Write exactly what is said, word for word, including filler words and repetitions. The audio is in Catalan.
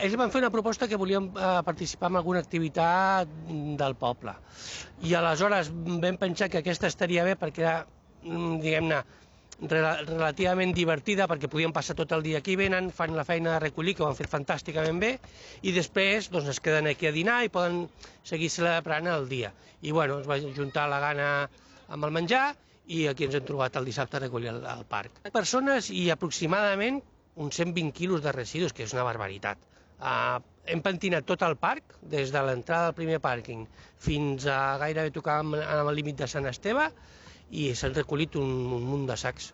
Ells van fer una proposta que volien participar en alguna activitat del poble. I aleshores vam pensar que aquesta estaria bé perquè era, diguem-ne, relativament divertida, perquè podien passar tot el dia aquí, venen, fan la feina de recollir, que ho han fet fantàsticament bé, i després doncs, es queden aquí a dinar i poden seguir celebrant el dia. I bueno, es va juntar la gana amb el menjar i aquí ens hem trobat el dissabte a recollir al, al parc. Persones i aproximadament uns cent vint quilos de residus, que és una barbaritat. Uh, hem pentinat tot el parc, des de l'entrada del primer pàrquing fins a gairebé tocar amb el límit de Sant Esteve, i s'han recollit un, un munt de sacs.